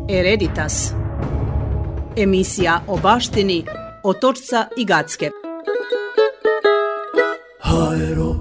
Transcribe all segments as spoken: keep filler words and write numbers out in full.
Hereditas. Emisija o baštini Otočca i Gacke. Haero.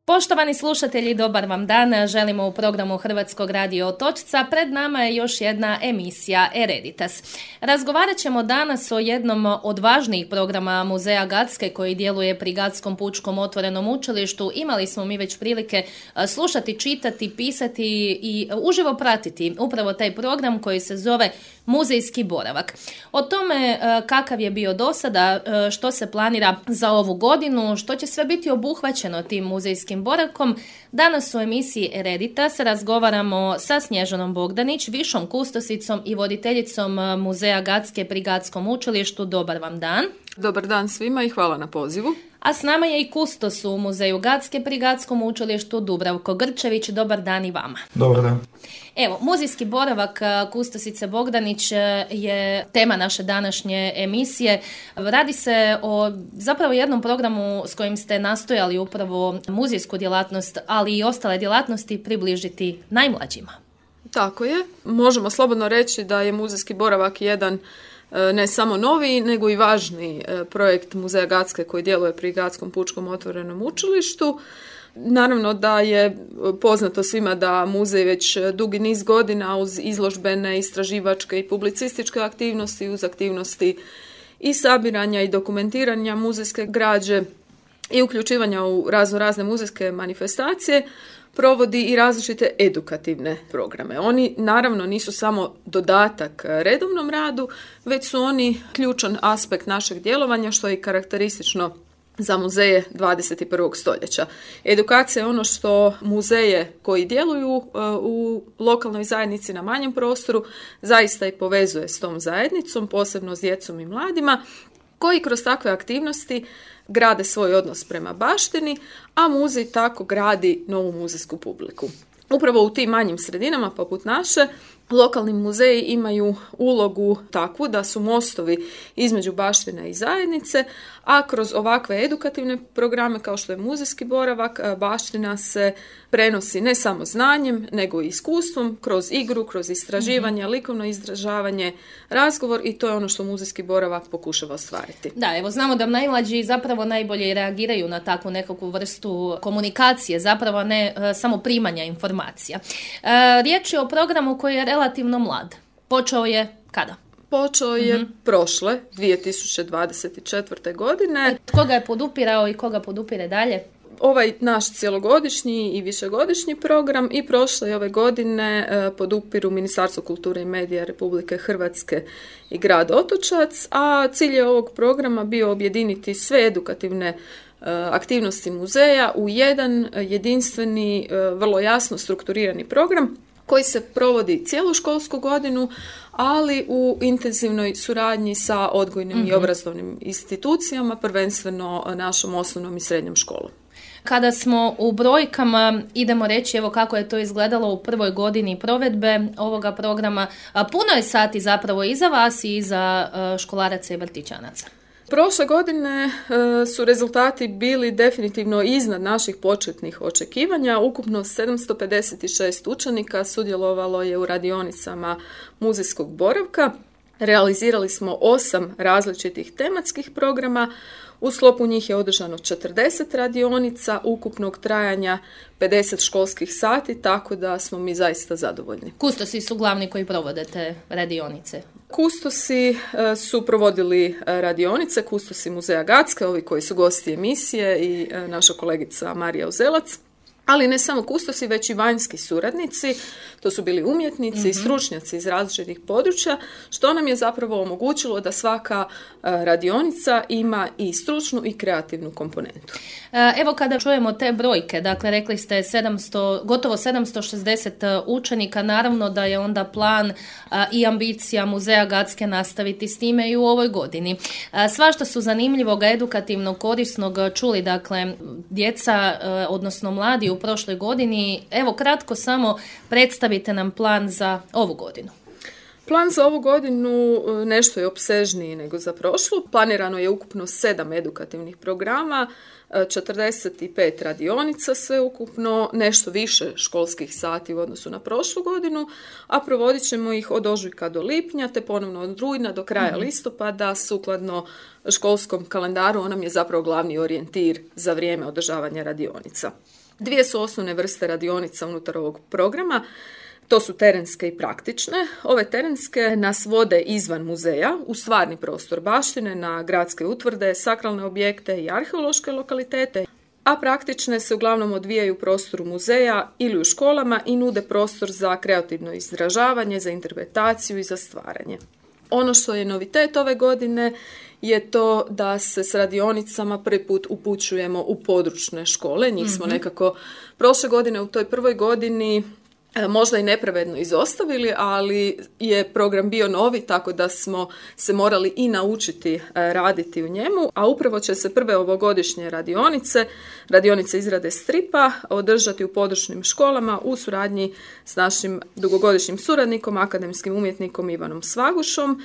Poštovani slušatelji, dobar vam dan. Želimo u programu Hrvatskog radija Otočca. Pred nama je još jedna emisija Hereditas. Razgovarat ćemo danas o jednom od važnijih programa Muzeja Gacke koji djeluje pri Gatskom pučkom otvorenom učilištu. Imali smo mi već prilike slušati, čitati, pisati i uživo pratiti upravo taj program koji se zove Muzejski boravak. O tome kakav je bio do sada, što se planira za ovu godinu, što će sve biti obuhvaćeno tim muzejskim boravkom. Danas u emisiji Hereditas razgovaramo sa Snježanom Bogdanić, višom kustosicom i voditeljicom Muzeja Gacke pri Gatskom učilištu. Dobar vam dan. Dobar dan svima i hvala na pozivu. A s nama je i kustos u Muzeju Gacke pri Gatskom učilištu Dubravko Grčević. Dobar dan i vama. Dobar dan. Evo, muzejski boravak kustosice Bogdanić je tema naše današnje emisije. Radi se o zapravo jednom programu s kojim ste nastojali upravo muzejsku djelatnost, ali i ostale djelatnosti približiti najmlađima. Tako je. Možemo slobodno reći da je muzejski boravak jedan ne samo novi, nego i važni projekt Muzeja Gacke koji djeluje pri Gatskom pučkom otvorenom učilištu. Naravno da je poznato svima da muzej već dugi niz godina uz izložbene, istraživačke i publicističke aktivnosti, uz aktivnosti i sabiranja i dokumentiranja muzejske građe i uključivanja u razno razne muzejske manifestacije, provodi i različite edukativne programe. Oni naravno nisu samo dodatak redovnom radu, već su oni ključan aspekt našeg djelovanja, što je i karakteristično za muzeje dvadeset i prvog stoljeća. Edukacija je ono što muzeje koji djeluju u lokalnoj zajednici na manjem prostoru zaista i povezuje s tom zajednicom, posebno s djecom i mladima, koji kroz takve aktivnosti grade svoj odnos prema baštini, a muzej tako gradi novu muzejsku publiku. Upravo u tim manjim sredinama poput naše, lokalni muzeji imaju ulogu takvu da su mostovi između baštine i zajednice, a kroz ovakve edukativne programe kao što je muzejski boravak, baština se prenosi ne samo znanjem, nego i iskustvom, kroz igru, kroz istraživanje, mm-hmm. likovno izražavanje, razgovor, i to je ono što muzejski boravak pokušava ostvariti. Da, evo znamo da najmlađi zapravo najbolje reagiraju na takvu nekakvu vrstu komunikacije, zapravo ne e, samo primanja informacija. E, riječ je o programu koji je relativno mlad. Počeo je kada? Počeo je mm-hmm. prošle, dvije tisuće dvadeset četvrte. godine. Tko ga je podupirao i koga podupire dalje? Ovaj naš cjelogodišnji i višegodišnji program i prošle i ove godine podupiru Ministarstvo kulture i medija Republike Hrvatske i grad Otočac, a cilj je ovog programa bio objediniti sve edukativne aktivnosti muzeja u jedan jedinstveni, vrlo jasno strukturirani program koji se provodi cijelu školsku godinu, ali u intenzivnoj suradnji sa odgojnim mm-hmm. i obrazovnim institucijama, prvenstveno našom osnovnom i srednjom školom. Kada smo u brojkama, idemo reći evo kako je to izgledalo u prvoj godini provedbe ovoga programa. Puno je sati zapravo i za vas i za školaraca i vrtićanaca. Prošle godine e, su rezultati bili definitivno iznad naših početnih očekivanja. Ukupno sedamsto pedeset šest učenika sudjelovalo je u radionicama muzejskog boravka. Realizirali smo osam različitih tematskih programa. U sklopu njih je održano četrdeset radionica ukupnog trajanja pedeset školskih sati, tako da smo mi zaista zadovoljni. Kustosi su glavni koji provode te radionice? Kustosi su provodili radionice, kustosi Muzeja Gacke, ovi koji su gosti emisije, i naša kolegica Marija Uzelac. Ali ne samo kustosi, već i vanjski suradnici, to su bili umjetnici mm-hmm. i stručnjaci iz različitih područja, što nam je zapravo omogućilo da svaka radionica ima i stručnu i kreativnu komponentu. Evo kada čujemo te brojke, dakle rekli ste sedamsto, gotovo sedamsto šezdeset učenika, naravno da je onda plan i ambicija Muzeja Gacke nastaviti s time i u ovoj godini. Svašta su zanimljivog, edukativnog, korisnog čuli, dakle djeca, odnosno mladi u prošloj godini. Evo kratko samo predstavite nam plan za ovu godinu. Plan za ovu godinu nešto je opsežniji nego za prošlu. Planirano je ukupno sedam edukativnih programa, četrdeset pet radionica sveukupno, nešto više školskih sati u odnosu na prošlu godinu, a provodit ćemo ih od ožujka do lipnja, te ponovno od rujna do kraja mm-hmm. listopada, sukladno školskom kalendaru. On nam je zapravo glavni orijentir za vrijeme održavanja radionica. Dvije su osnovne vrste radionica unutar ovog programa. To su terenske i praktične. Ove terenske nas vode izvan muzeja, u stvarni prostor baštine, na gradske utvrde, sakralne objekte i arheološke lokalitete, a praktične se uglavnom odvijaju u prostoru muzeja ili u školama i nude prostor za kreativno izražavanje, za interpretaciju i za stvaranje. Ono što je novitet ove godine je to da se s radionicama prvi put upućujemo u područne škole. Njih smo mm-hmm. nekako prošle godine u toj prvoj godini možda i nepravedno izostavili, ali je program bio novi, tako da smo se morali i naučiti raditi u njemu, a upravo će se prve ovogodišnje radionice, radionice izrade stripa, održati u područnim školama u suradnji s našim dugogodišnjim suradnikom, akademskim umjetnikom Ivanom Svagušom.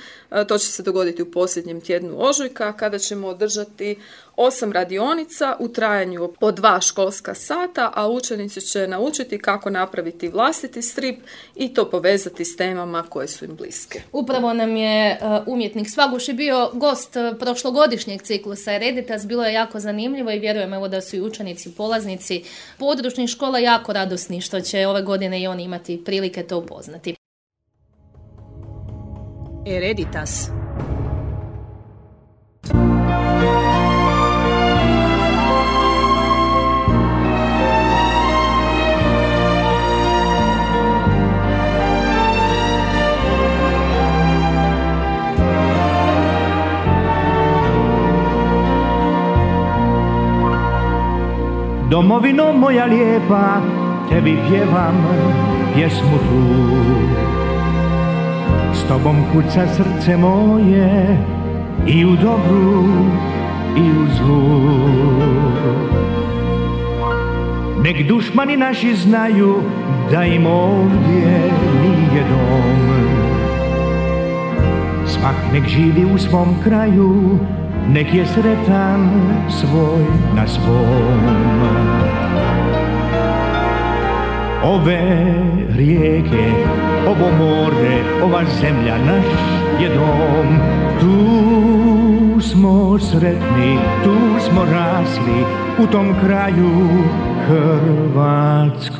To će se dogoditi u posljednjem tjednu ožujka, kada ćemo održati osam radionica u trajanju po dva školska sata, a učenici će naučiti kako napraviti vlastiti strip i to povezati s temama koje su im bliske. Upravo nam je uh, umjetnik Svaguš i bio gost uh, prošlogodišnjeg ciklusa Ereditas. Bilo je jako zanimljivo i vjerujem evo da su i učenici, polaznici područnih škola jako radosni što će ove godine i oni imati prilike to upoznati. Ereditas. Domovino moja lijepa, tebi pjevam pjesmu tu. S tobom kuca srce moje i u dobru i u zlu. Nek dušmani naši znaju da im ovdje nije dom. Svak nek živi u svom kraju, nek je sretan svoj na svom. Ove rijeke, ovo more, ova zemlja naš je dom. Tu smo sretni, tu smo rasli, u tom kraju hrvatskom.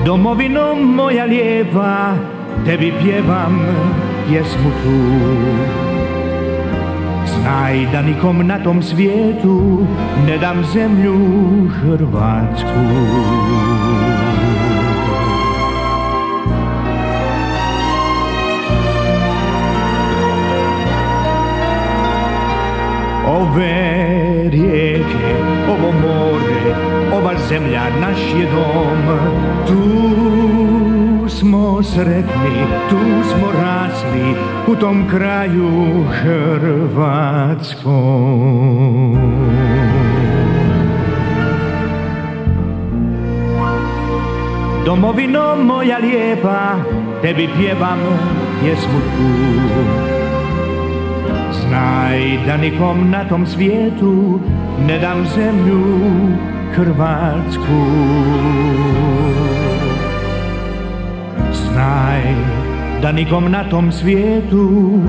Domovino moja lijepa, tebi pjevam pjesmu tu. Znaj da nikom na tom svijetu ne dam zemlju hrvatsku. Ove rijeke, ovo more, ova zemlja naš je dom. Tu smo sretni, tu smo rasli, u tom kraju hrvatskom. Domovino moja lijepa, tebi pjevam pjesmu tu. Znaj da nikom na tom svijetu ne dam zemlju hrvatsku. Znaj da nikom na tom svijetu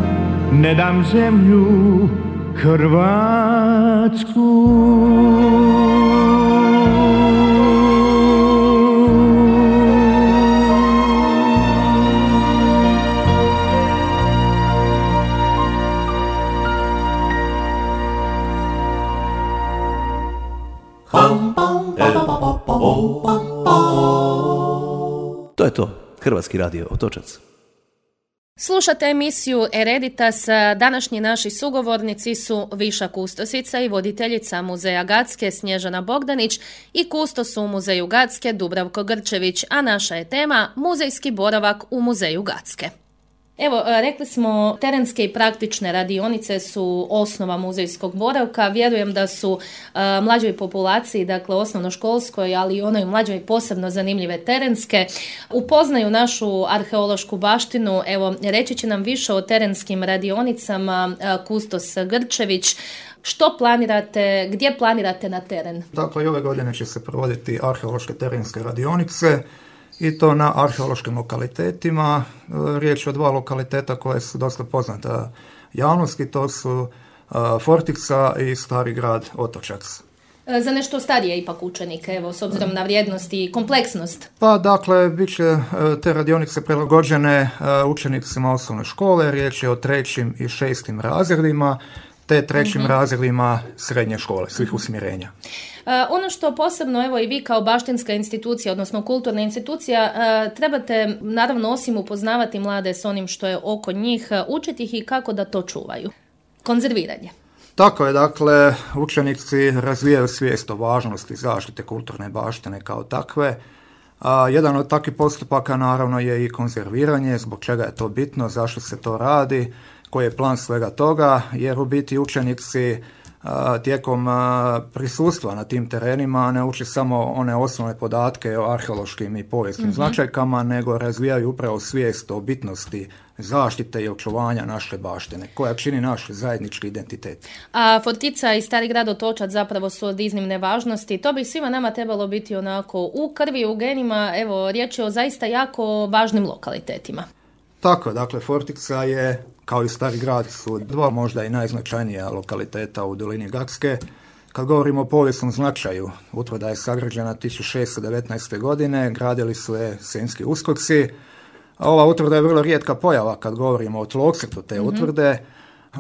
ne dam zemlju hrvatsku. To je to. Hrvatski radio Otočac. Slušate emisiju Ereditas. Današnji naši sugovornici su Viša kustosica i voditeljica Muzeja Gacke Snježana Bogdanić i kustos u Muzeju Gacke Dubravko Grčević, a naša je tema muzejski boravak u Muzeju Gacke. Evo, rekli smo, terenske i praktične radionice su osnova muzejskog boravka. Vjerujem da su uh, mlađoj populaciji, dakle osnovnoškolskoj, ali i onoj mlađoj posebno zanimljive terenske, upoznaju našu arheološku baštinu. Evo, reći će nam više o terenskim radionicama uh, Kustos Grčević. Što planirate, gdje planirate na teren? Dakle, i ove godine će se provoditi arheološke terenske radionice, i to na arheološkim lokalitetima. Riječ je o dva lokaliteta koje su dosta poznata javnosti, to su Fortica i Stari grad Otočac. Za nešto starije ipak učenike, evo, s obzirom na vrijednost i kompleksnost. Pa dakle, bit će te radionice prilagođene učenicima osnovne škole, riječ je o trećim i šestim razredima, te trećim mm-hmm. razredima srednje škole, svih usmjerenja. Uh, ono što posebno, evo i vi kao baštinska institucija, odnosno kulturna institucija, uh, trebate naravno osim upoznavati mlade s onim što je oko njih, uh, učiti ih i kako da to čuvaju. Konzerviranje. Tako je, dakle, učenici razvijaju svijest o važnosti zaštite kulturne baštine kao takve. A, jedan od takvih postupaka naravno je i konzerviranje, zbog čega je to bitno, zašto se to radi, koji je plan svega toga, jer u biti učenici a, tijekom a, prisustva na tim terenima ne uče samo one osnovne podatke o arheološkim i povijesnim mm-hmm. značajkama, nego razvijaju upravo svijest o bitnosti zaštite i očuvanja naše baštine, koja čini naš zajednički identitet. A Fortica i Stari grad Otočac zapravo su od iznimne važnosti. To bi svima nama trebalo biti onako u krvi, u genima. Evo, riječ je o zaista jako važnim lokalitetima. Tako, dakle, Fortica je, kao i Stari grad, su dva možda i najznačajnija lokaliteta u dolini Gacke. Kad govorimo o povijesnom značaju, utvrda je sagrađena tisuću šeststo devetnaeste. godine, gradili su je Senjski uskoci. Ova utvrda je vrlo rijetka pojava kad govorimo o tlocrtu te mm-hmm. utvrde.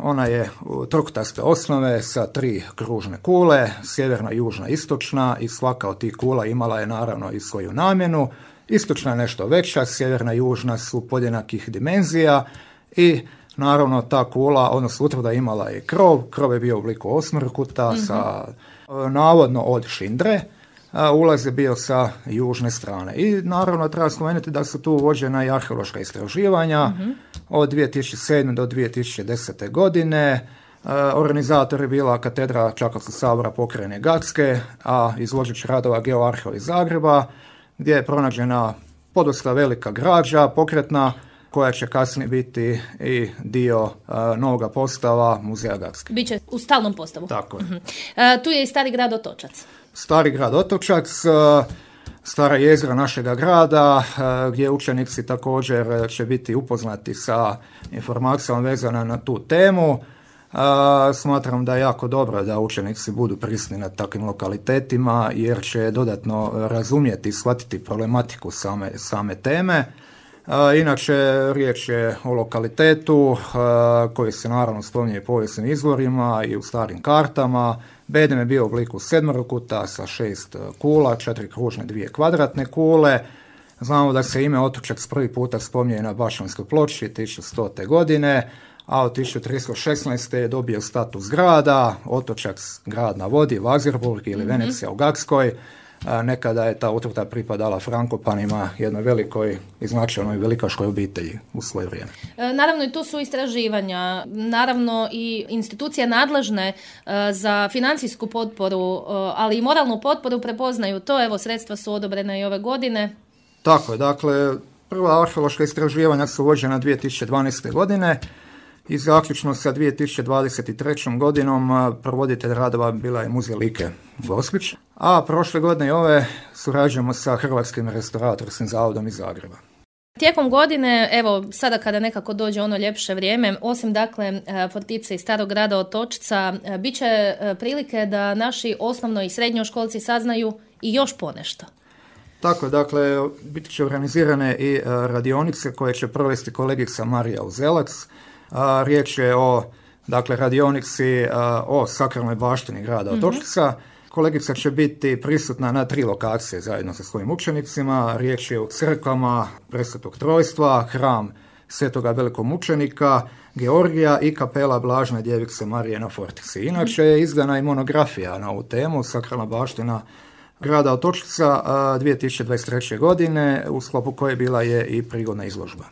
Ona je trokutaste osnove sa tri kružne kule, sjeverna, južna, istočna, i svaka od tih kula imala je naravno i svoju namjenu. Istočna je nešto veća, sjeverna i južna su podjednakih dimenzija i naravno ta kula, odnosno utvrda imala je krov, krov je bio u obliku osmrkuta mm-hmm. sa navodno od šindre, a ulaz je bio sa južne strane. I naravno treba spomenuti da su tu uvođena i arheološka istraživanja mm-hmm. od dvije tisuće sedme. do dvije tisuće desete. godine. Organizator je bila katedra Čakovskog sabora pokrajine Gacke, a izvođač radova Geoarheo iz Zagreba, gdje je pronađena podosta velika građa pokretna, koja će kasnije biti i dio uh, novoga postava Muzeja Gacke. Biće u stalnom postavu. Tako je. Uh-huh. Uh, tu je i Stari grad Otočac. Stari grad Otočac, uh, stara jezgra našega grada, uh, gdje učenici također će biti upoznati sa informacijama vezana na tu temu. Uh, smatram da je jako dobro da učenici budu prisutni na takvim lokalitetima, jer će dodatno razumjeti i shvatiti problematiku same, same teme. Uh, inače, riječ je o lokalitetu uh, koji se naravno spominje u povijesnim izvorima i u starim kartama. Bedem je bio u obliku sedmorokuta sa šest kula, četiri kružne, dvije kvadratne kule. Znamo da se ime Otočac prvi puta spominje na Bašćanskoj ploči tisuću stote. godine, a od tisuću tristo šesnaeste. je dobio status grada, Otočac grad na vodi, Vazirburg ili mm-hmm. Venecija u Gackoj. Nekada je ta utvrda pripadala Frankopanima, jednoj velikoj i značajnoj velikaškoj obitelji u svoje vrijeme. Naravno i tu su istraživanja, naravno i institucije nadležne za financijsku potporu, ali i moralnu potporu prepoznaju to. Evo, sredstva su odobrena i ove godine. Tako je, dakle, prva arheološka istraživanja su vođena dvije tisuće dvanaeste. godine i zaključno sa dvije tisuće dvadeset trećom. godinom provoditelj radova bila je Muzej Like Gospić, a prošle godine i ove surađujemo sa Hrvatskim restauratorskim zavodom iz Zagreba. Tijekom godine, evo, sada kada nekako dođe ono ljepše vrijeme, osim dakle Fortice i Starog grada Otočca, bit će prilike da naši osnovno i srednjoškolci saznaju i još ponešto. Tako je, dakle, bit će organizirane i radionice koje će provesti kolegica Marija Uzelac. A, riječ je o, dakle, radionici a, o sakralnoj baštini grada Otočca. Mm-hmm. Kolegica će biti prisutna na tri lokacije zajedno sa svojim učenicima. Riječ je o crkvama Presvetog Trojstva, hram Svetoga velikog mučenika Georgija i kapela Blažene djevice Marije na Fortici. Inače je izdana i monografija na ovu temu, sakralna baština grada Otočca dvije tisuće dvadeset treće. godine, u sklopu koje bila je i prigodna izložba.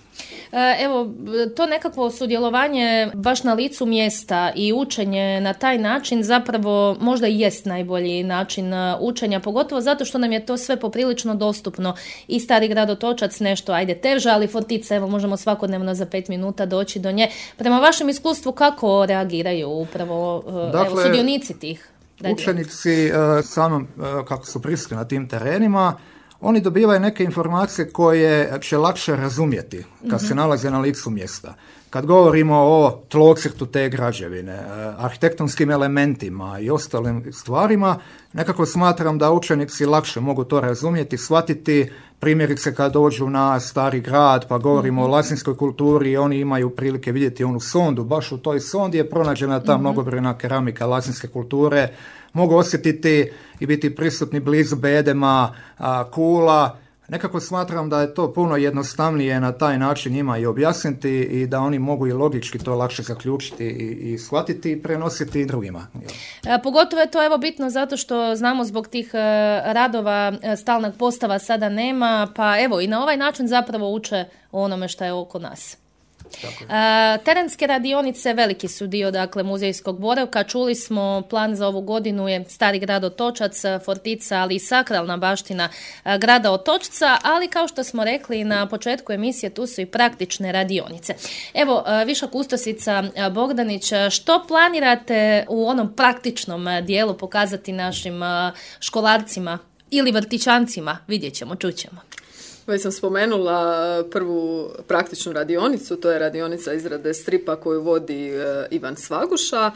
Evo, to nekakvo sudjelovanje baš na licu mjesta i učenje na taj način zapravo možda i jest najbolji način učenja, pogotovo zato što nam je to sve poprilično dostupno. I Stari grad Otočac nešto, ajde, teže, ali Fortica, evo, možemo svakodnevno za pet minuta doći do nje. Prema vašem iskustvu, kako reagiraju upravo dakle, evo, sudionici tih radionica? Učenici, samom kako su prisutni na tim terenima, oni dobivaju neke informacije koje će lakše razumjeti kad mm-hmm. se nalaze na licu mjesta. Kad govorimo o tlocrtu te građevine, arhitektonskim elementima i ostalim stvarima, nekako smatram da učenici lakše mogu to razumjeti, shvatiti. Primjerice kad dođu na Stari grad pa govorimo mm-hmm. o lasinskoj kulturi, oni imaju prilike vidjeti onu sondu. Baš u toj sondi je pronađena ta mm-hmm. mnogobrojna keramika lasinske kulture. Mogu osjetiti i biti prisutni blizu bedema, a, kula. Nekako smatram da je to puno jednostavnije na taj način njima i objasniti i da oni mogu i logički to lakše zaključiti i, i shvatiti i prenositi i drugima. E, pogotovo je to evo bitno zato što znamo zbog tih e, radova e, stalnog postava sada nema, pa evo i na ovaj način zapravo uče o onome što je oko nas. E, terenske radionice veliki su dio dakle muzejskog boravka. Čuli smo, plan za ovu godinu je Stari grad Otočac, Fortica, ali i sakralna baština e, grada Otočca, ali kao što smo rekli na početku emisije, tu su i praktične radionice. Evo, e, viša kustosica Bogdanić, što planirate u onom praktičnom dijelu pokazati našim e, školarcima ili vrtićancima? Vidjet ćemo, čućemo. Već sam spomenula prvu praktičnu radionicu, to je radionica izrade stripa koju vodi Ivan Svaguša.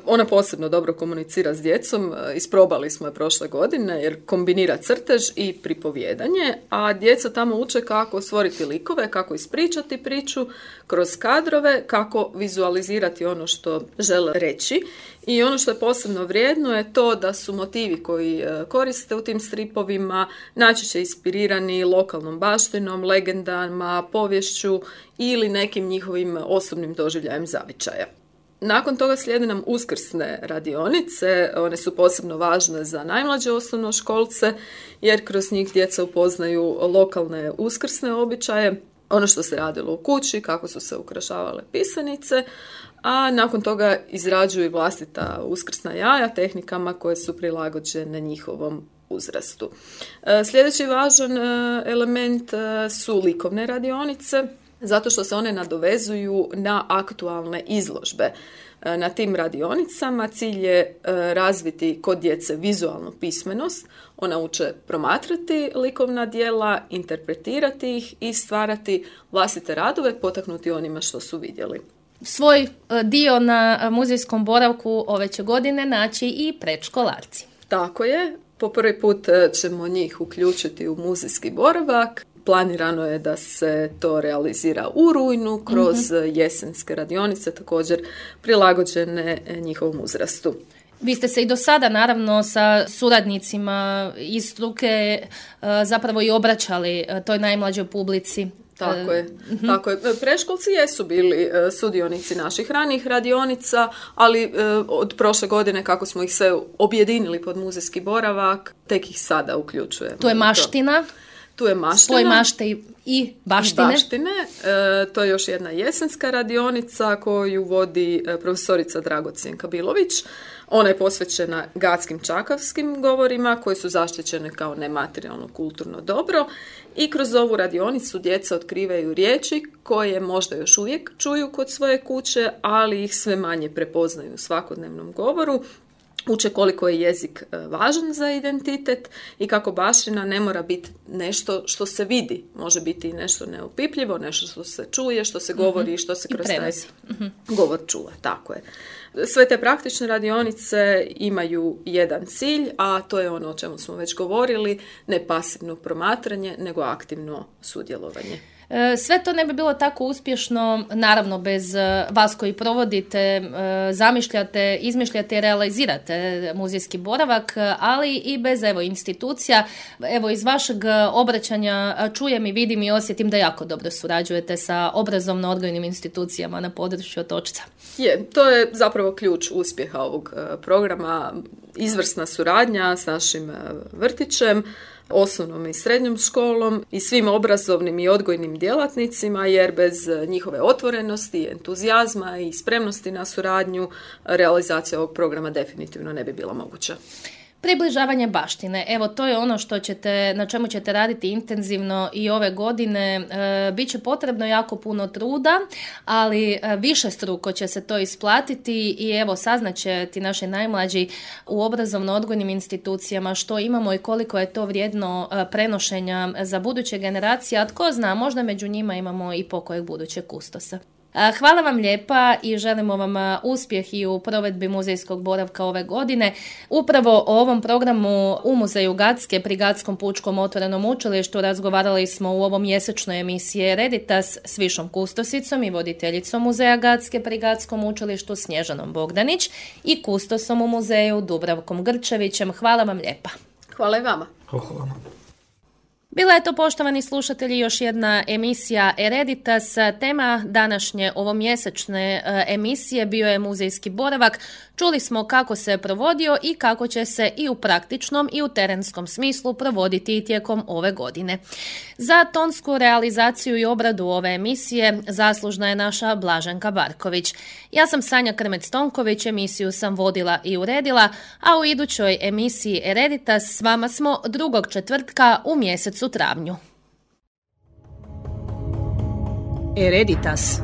Ona posebno dobro komunicira s djecom, isprobali smo je prošle godine jer kombinira crtež i pripovijedanje, a djeca tamo uče kako stvoriti likove, kako ispričati priču kroz kadrove, kako vizualizirati ono što žele reći. I ono što je posebno vrijedno je to da su motivi koji koriste u tim stripovima najčešće inspirirani lokalnom baštinom, legendama, povješću ili nekim njihovim osobnim doživljajem zavičaja. Nakon toga slijede nam uskrsne radionice, one su posebno važne za najmlađe osnovnoškolce jer kroz njih djeca upoznaju lokalne uskrsne običaje, ono što se radilo u kući, kako su se ukrašavale pisanice, a nakon toga izrađuju vlastita uskrsna jaja tehnikama koje su prilagođene njihovom uzrastu. Sljedeći važan element su likovne radionice, zato što se one nadovezuju na aktualne izložbe. Na tim radionicama cilj je razviti kod djece vizualnu pismenost. Ona uče promatrati likovna djela, interpretirati ih i stvarati vlastite radove, potaknuti onima što su vidjeli. Svoj dio na muzejskom boravku ove će godine naći i predškolarci. Tako je. Po prvi put ćemo njih uključiti u muzejski boravak. Planirano je da se to realizira u rujnu kroz mm-hmm. jesenske radionice, također prilagođene njihovom uzrastu. Vi ste se i do sada, naravno, sa suradnicima iz struke zapravo i obraćali toj najmlađoj publici. Tako je, mm-hmm. tako je. Preškolci jesu bili sudionici naših ranijih radionica, ali od prošle godine kako smo ih sve objedinili pod muzejski boravak, tek ih sada uključujemo. To je maština. Tu je maština. Svoj mašte i baštine. I baštine. E, to je još jedna jesenska radionica koju vodi profesorica Dragocijenka Bilović. Ona je posvećena gatskim čakavskim govorima koji su zaštićene kao nematerijalno kulturno dobro i kroz ovu radionicu djeca otkrivaju riječi koje možda još uvijek čuju kod svoje kuće, ali ih sve manje prepoznaju u svakodnevnom govoru. Uče koliko je jezik važan za identitet i kako baština ne mora biti nešto što se vidi. Može biti nešto neopipljivo, nešto što se čuje, što se govori i što se kroz taj mm-hmm. govor čuje. Tako je. Sve te praktične radionice imaju jedan cilj, a to je ono o čemu smo već govorili, ne pasivno promatranje, nego aktivno sudjelovanje. Sve to ne bi bilo tako uspješno, naravno, bez vas koji provodite, zamišljate, izmišljate i realizirate muzejski boravak, ali i bez evo institucija. Evo, iz vašeg obraćanja čujem i vidim i osjetim da jako dobro surađujete sa obrazovno-odgojnim institucijama na području Otočca. Je, to je zapravo ključ uspjeha ovog programa. izvrsna suradnja s našim vrtićem, osnovnom i srednjom školom i svim obrazovnim i odgojnim djelatnicima, jer bez njihove otvorenosti, entuzijazma i spremnosti na suradnju realizacija ovog programa definitivno ne bi bila moguća. Približavanje baštine, evo to je ono što ćete, na čemu ćete raditi intenzivno i ove godine. E, Biće potrebno jako puno truda, ali e, više struko će se to isplatiti i evo saznaće ti naši najmlađi u obrazovno-odgojnim institucijama što imamo i koliko je to vrijedno e, prenošenja za buduće generacije, a tko zna, možda među njima imamo i pokojeg budućeg kustosa. Hvala vam lijepa i želimo vam uspjeh i u provedbi muzejskog boravka ove godine. Upravo o ovom programu u Muzeju Gacke pri Gatskom pučkom otvorenom učilištu razgovarali smo u ovom mjesečnoj emisiji Ereditas s višom kustosicom i voditeljicom Muzeja Gacke pri Gatskom učilištu Snježanom Bogdanić i kustosom u muzeju Dubravkom Grčevićem. Hvala vam lijepa. Hvala i vama. Hvala vama. Bila je to, poštovani slušatelji, još jedna emisija Ereditas. Tema današnje ovomjesečne emisije bio je muzejski boravak. Čuli smo kako se je provodio i kako će se i u praktičnom i u terenskom smislu provoditi i tijekom ove godine. Za tonsku realizaciju i obradu ove emisije zaslužna je naša Blaženka Barković. Ja sam Sanja Krmec-Tonković, emisiju sam vodila i uredila, a u idućoj emisiji Ereditas s vama smo drugog četvrtka u mjesecu travnju. Ereditas.